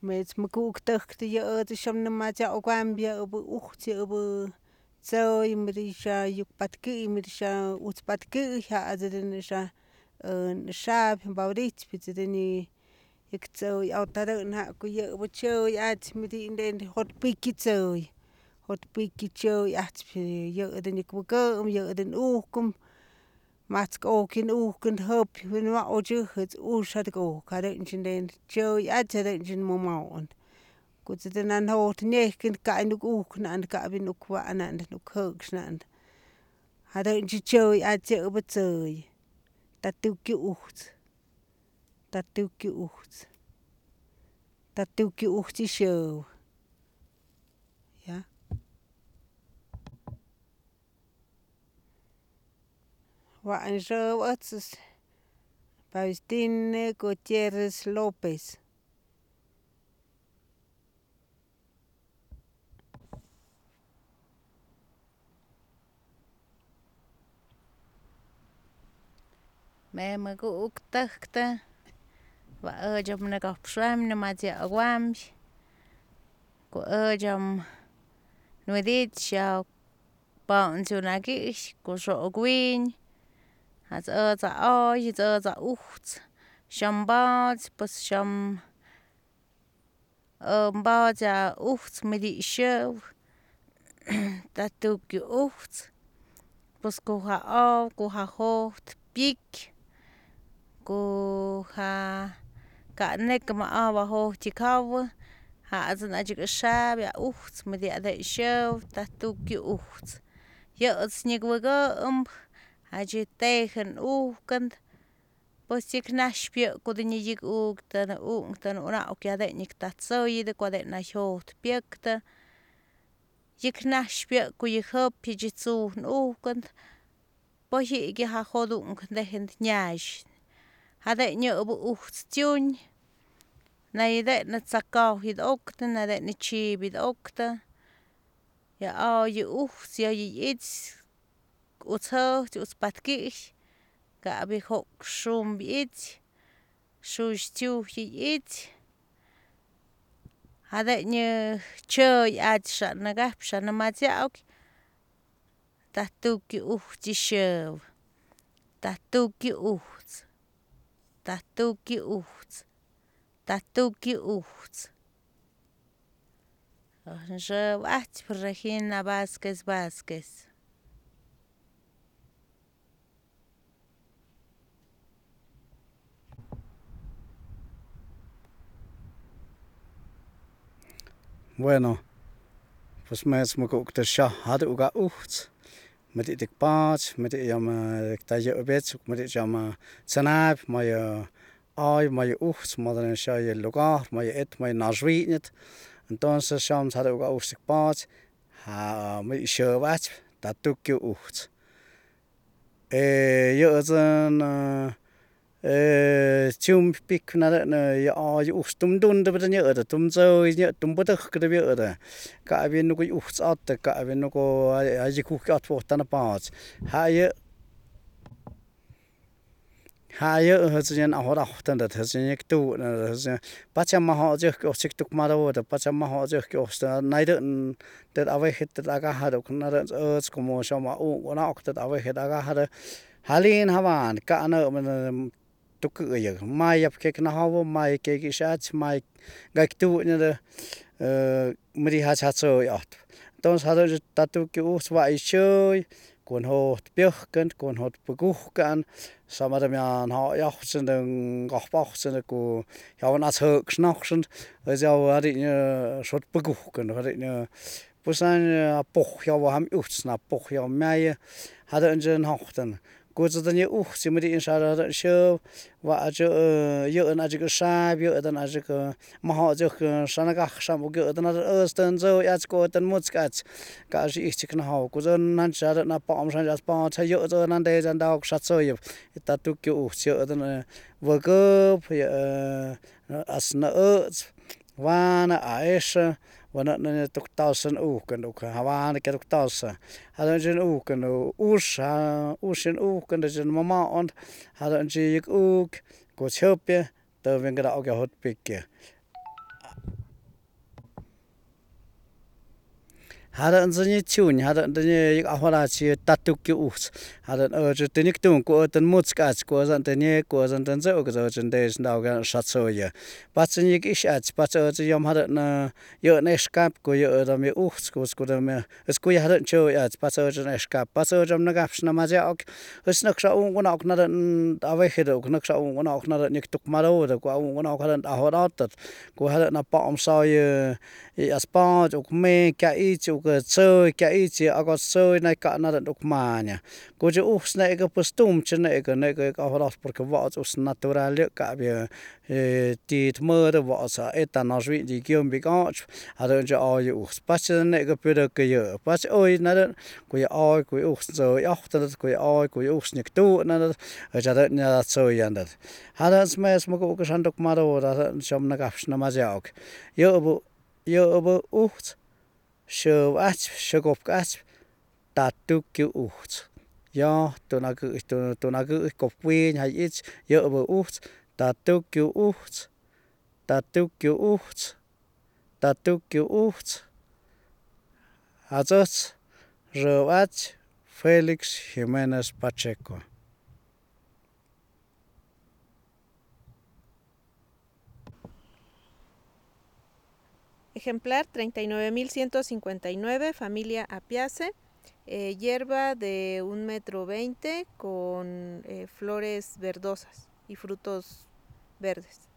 Mets makuk te yo te sham na ma ja ogambia obu uchti obu tsoy mirisha yuk patki mirisha uts patki ha azedin sha shab baurit pitedeni ik tsoy autara na ku yo bu choy at midi den hot piki tsoy hot piki choy at yo den ik bukum yo den ukum mats okin ukin hop when ma oju het ushat go karen den choy at den momon gut den an hot nekin ka nu uknan ka bin ukwa anan nuk hogsnan hada choy at yo bu tsoy tatuki ucht tatuki ucht tatuki uchti show ja wa an show ats Faustine Gutierrez Lopez me magu uktakta wa ojam na gopsham na matia awam ko ojam nuedit sha pauntunagi ko so gwin has oza oj oza ucht shambat pas sham baja ucht midi show tatuk ucht pas ko ha hot pik ko ha ka nek ma ava ho tikaw ha azan ajik shab ya ucht mit ya de show tatuki ucht ya snig waga aji tegen ukend pues ik nashpie ko de nijik uktan ora ok ya de nik tatsoy de ko de na hot piekta ik nashpie ko ik hop jitsu ukend pues ik ha hodung de hent nyash hade nyo bu ucht tjun na ide na tsakaw hid okta na de ni chibid okta ya je ucht ya its utho uts patki ga bi hok shum its shush tu its hade nyo choy at sha na gap sha na ma ok tatuki ucht show tatuki ucht tatuki ucht tatuki ucht je wat Regina Vázquez Bueno, pues me smuk de sha had uga ucht met ik paat met jam dat je bet met jam tsanap maar ai maar ucht maar dan sha je lugar maar et maar nazwi net entonces shams had uga ucht paat ha met sha wat dat tukje ucht je zan chum pik na ya ustum dun de bedanya da tum zo ya tum bodak de bi da ka bi no ko uchts at ka bi no ko aji ku at fo tan paats ha ye hzen a hora tan da hzen ek tu pacha ma ha je ko sik tuk ma da pacha ma ha je ko sta nai de ave het da ga ha da na da como shama u na ok da ave het da ga ha halin havan ka na tuk ye mai ap ke na hawo mai ke ki shat mai ga tu ne de mri ha cha so yat don sa de tatu ki us wa I shoy kon hot bjørken kon hot begukan sama de man ha jachtsen den gachbachsen ko ja na hok snachsen ja had ik soort begukan had ik pusan poch ja ham utsna poch ja mei had een hochten goed dan je oog ze met in sa show wa je een ajik sa je dan ajik ma ha je sanaga sam ge dan dan zo ja ko dan mutskat ka ji ich kan ha ko dan nan sa na pa am san ja pa cha je dan de dan da sa so je ta tu ke oog je dan wa go as na wa na aisha wana na tuktasen uken ook hawan ik tuktasen hadden ze uken usen uken dat ze mama on hadden ze ik ook ko chopje daar ben ik ook hot pikken Hada nzini chun hada ndini ahora chi tatuk ki us hada je tenik tun ko ten mutskach ko zan teni ko zan ten zo ko zan des ndau ga shatsoya patsin ik ishach patso je yom hada na yo ne skap ko yo da me us ko da me es ko hada cho ya patso je ne skap patso jam na gaps na ma ja ok es nak sa un gona ok na ave hedo ok nak sa un gona ok na nik tuk maro da ko un gona ok hada ahora tat ko hada na pa om sa ye aspa ok me ka I ko chơi cái chỉ ở có chơi này cả nó được mà nhỉ cô chú us này cái postum trên này cái họ porque vợ us natural cả bây thì mơ đó vợ sa etanol vị thì kêu bị có à rồi cho oi us bắt trên này cái bây giờ cái giờ bắt oi nó đó cái oi cái us rồi ốc đó cái oi cái us nhật tu nó ở cho đó nhà chơi vậy đó hà đó mà cái sản được mà đó trong nó gặp nó mà giàu giờ bộ us sơ ách sơ gộp ách tạt tu cứu út do tôi nói cứ cột quy hay ít giờ bờ út tạt tu cứu út tạt tu cứu út tạt tu cứu út Azot Roach Felix Jimenez Pacheco. Ejemplar 39.159, familia Apiaceae, hierba de 1,20 m con flores verdosas y frutos verdes.